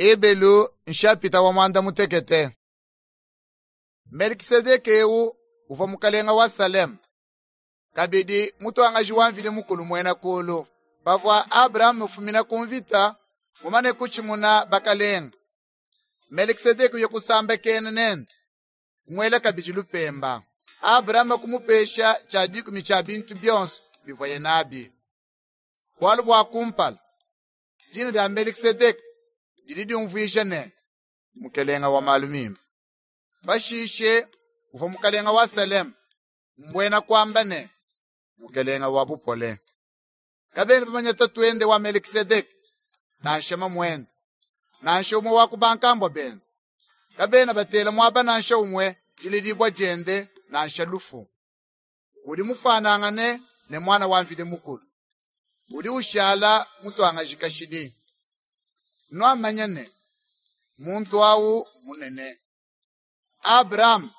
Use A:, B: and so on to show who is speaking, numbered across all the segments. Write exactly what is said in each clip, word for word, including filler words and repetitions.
A: Ebelu nshapita wa muanda mutekete. Melkisedeke eu uvua mukalenga wa Saleme, kabidi mutuangaji wa Mvidi Mukulu muena kulu. Pavua Abrahame ufumina ku mvita, mumane kutshimuna bakalenga, Melkisedeke uya kusambakena nende, kumuela kabidi lupemba. Abrahame kumupesha tshia dikumi tshia bintu bionso bivuaye nabi. Bualu bua kumpala, dina dia Melkisedeke didi diumvuija ne, mukalenga wa malu mimpe. Pashishe uvua mukalenga wa Saleme, mbuena kuamba ne, mukalenga wa bupole. Kabena bamanya tatuende wa Melkisedeke, nansha mamuende, nansha umwe wa ku bankambua bende. Kabena batela muaba nansha umwe diledibua diende nansha lufu. Udi mufanangane ne mwana wa Mvidi Mukulu. Udi ushala mutuangaji kashidi. Nuamanya ne, muntu awu munene. Abrahame,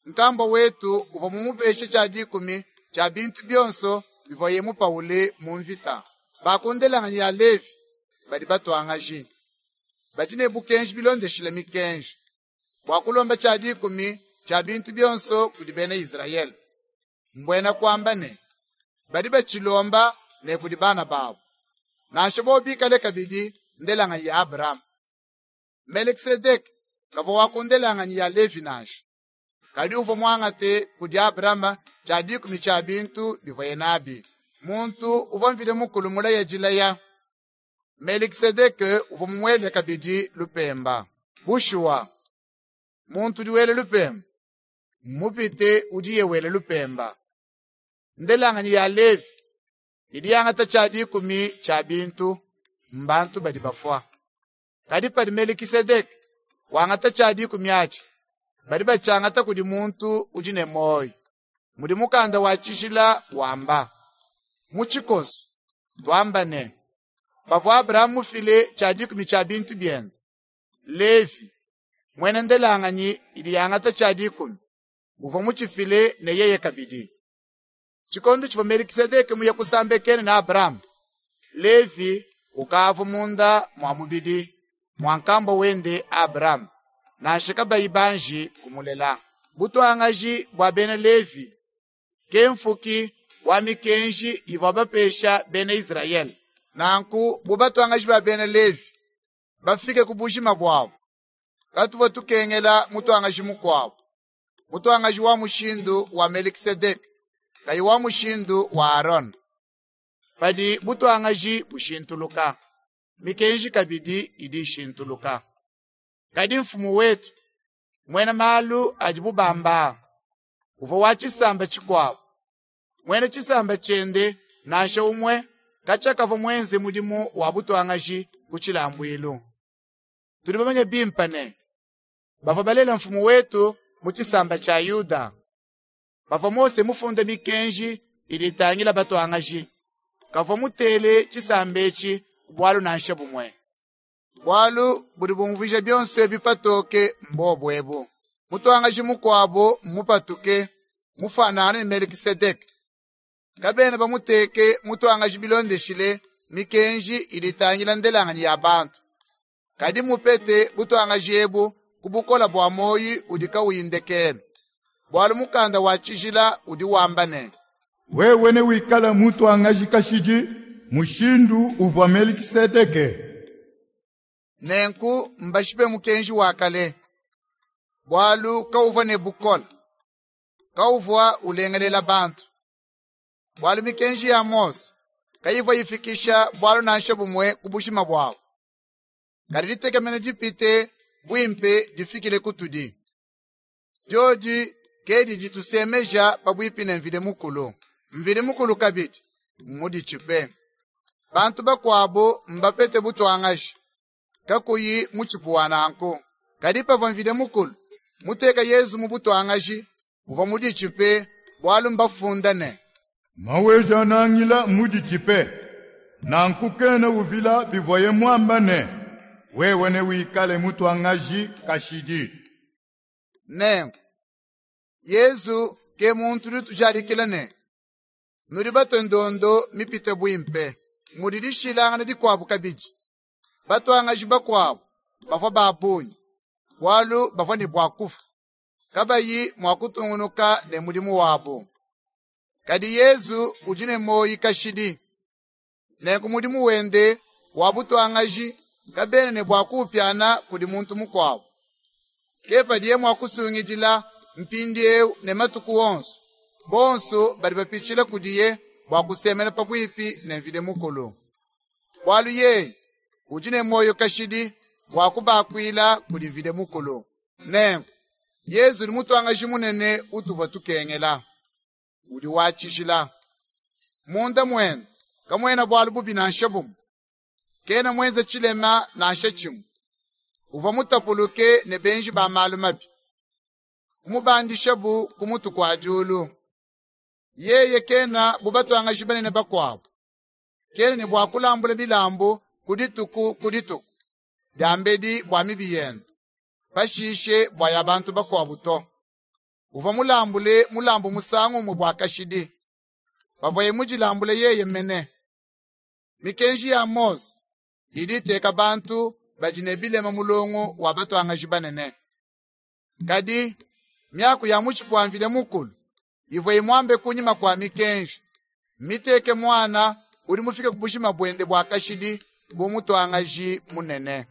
A: nkambua wetu uvua mumupeshe tshia dikumi tshia bintu bionso bivuaye mupawule mu mvita. Ba ku ndelanganyi ya Levi badi batuangaji, badi ne bukenji bilondeshile mikenji, bua kulomba tshia dikumi tshia bintu bionso kudi bena Izrayele. Mbuena kuamba ne, badi batshilomba ne kudi bana babu, nansha bobu bikale kabidi ndelanganyi ya Abrahame. Melkisedeke kavua wa ku ndelanganyi ya Levi nansha, kadi uvua muangate kudi Abrahame tshia dikumi tshia bintu bivuaye nabi. Muntu uvua Mvidi Mukulu mulaye dilaya, Melkisedeke uvua mumuele kabidi lupemba. Bushuwa, muntu udi wela lupemba mmupite udiye wela lupemba. Ndelanganyi ya Levi idi yangata tshia dikumi tshia bintu, mbantu badi bafua. Kadi padi Melkisedeke wangata tshia dikumi atshi, badi batshiangata kudi muntu udi ne muoyo. Mudi mukanda wa tshijila wamba. Mu tshikoso tuamba ne, pavua Abrahame mufile tshia dikumi tshia bintu biende, Levi muena ndelanganyi idi yangata tshia dikumi, uvua mutshifile ne yeye kabidi. Tshikondo tshivua Melkisedeke muye kusambakena ne Abrahame, Levi ukavua munda mua mubidi mua nkambua wende Abrahame, nansha kabayi banji kumulela. Butuangaji bua bena Levi ke mfuki wa mikenji ivua bapesha bena Izrayele. Nanku bu batuangaji ba bena Levi bafike ku bujima buabu, katuvua tukengela mutuangaji mukuabu, mutuangaji wa mushindu wa Melkisedeke, kayi wa mushindu wa Arone. Padi butuangaji bushintuluka, mikenji kabidi idi ishintuluka. Kadi mfumu wetu, muena malu adibu bamba, uvua wa tshisamba tshikuabu. Muena tshisamba tshiende nansha umwe katshia kavua muenze mudimu wa butuangaji ku tshilambuilu. Tudi bamanye bimpe ne, bavua balela mfumu wetu mu tshisamba tshia Yuda. Pavua Mose mufunde mikenji idi itangila batuangaji, kavua mutele tshisamba etshi bualu nansha bumwe. Bualu budi bumvuija bionso ebi patoke mbobu ebu. Mutuangaji mukuabu mmupatuke mufanane ne Melkisedeke. Kabena bamuteke mutuangaji bilondeshile mikenji idi itangila ndelanganyi ya bantu. Kadi mupete butuangaji ebu ku bukola bua muoyo udi kauyi ndekelu. Bualu mukanda wa tshijila udi wamba ne,
B: wewe newikale mutuangaji kashidi mushindu uvua Melkisedeke.
A: Nenku mbashipe mukenji wa kale, bualu kauvua ne bukole, kauvua ulengelela bantu. Bualu mikenji ya Mose kayivua ifikisha bualu nansha bumwe ku bujima buabu. Kadi ditekemena dipite buimpe difikile kutudi. Diodi ke didi tusemeja pabuipi ne Mvidi Mukulu. Mvidi Mukulu kabidi mmuditshipe. Bantu bakuabu mbapete butuangaji, kakuyi mutshipu wa nanku. Kadi pavua Mvidi Mukulu muteka Yezu mu butuangaji, uvua muditshipe bualu mbafunda ne,
B: Maweja-Nangila muditshipe, nanku kena uvila bivuaye muamba ne, wewe newikale mutuangaji kashidi.
A: Nenku Yezu ke muntu udi utujadikila ne, nudi batue ndondo mipite buimpe. Mudi dishilangana dikuabu kabidi. Batuangaji bakuabu bavua ba bungi, bualu bavua ne bua kufua, kabayi mua kutungunuka ne mudimu wabu. Kadi Yezu udi ne muoyo kashidi. Nenku mudimu wende wa butuangaji kabena ne bua kuupiana kudi muntu mukuabu. Ke padiye mua kusungidila mpindieu ne matuku onso, bonso badi bapitshila kudiye bua kusemena pabuipi ne Mvidi Mukulu. Bualu yeye udi ne muoyo kashidi bua kubakuila kudi Mvidi Mukulu. Nenku Yezu udi mutuangaji munene utuvua tukengela, udi wa tshijila. Munda muende kamuena bualu bubi nansha bumue, kena muenze tshilema nansha tshimue. Uvua mutapuluke ne benji ba malu mabi, kumubandishabu ku mutu kua diulu. Yeye kena bu batuangaji banene bakuabu, kena ne bua kulambula milambu ku dituku ku dituku, diambedi bua mibi yende, pashishe bua ya bantu bakuabu to. Uvua mulambule mulambu musangu umue bua kashidi, pavuaye mudilambule yeye mene. Mikenji ya Mose idi iteka bantu badi ne bilema mulongo wa batuangaji banene. Kadi miaku ya mutshipu wa Mvidi Mukulu ivua imuambe kunyima kua mikenji, mmiteke muana udi mufike ku bujima buende bua kashidi bu mutuangaji munene.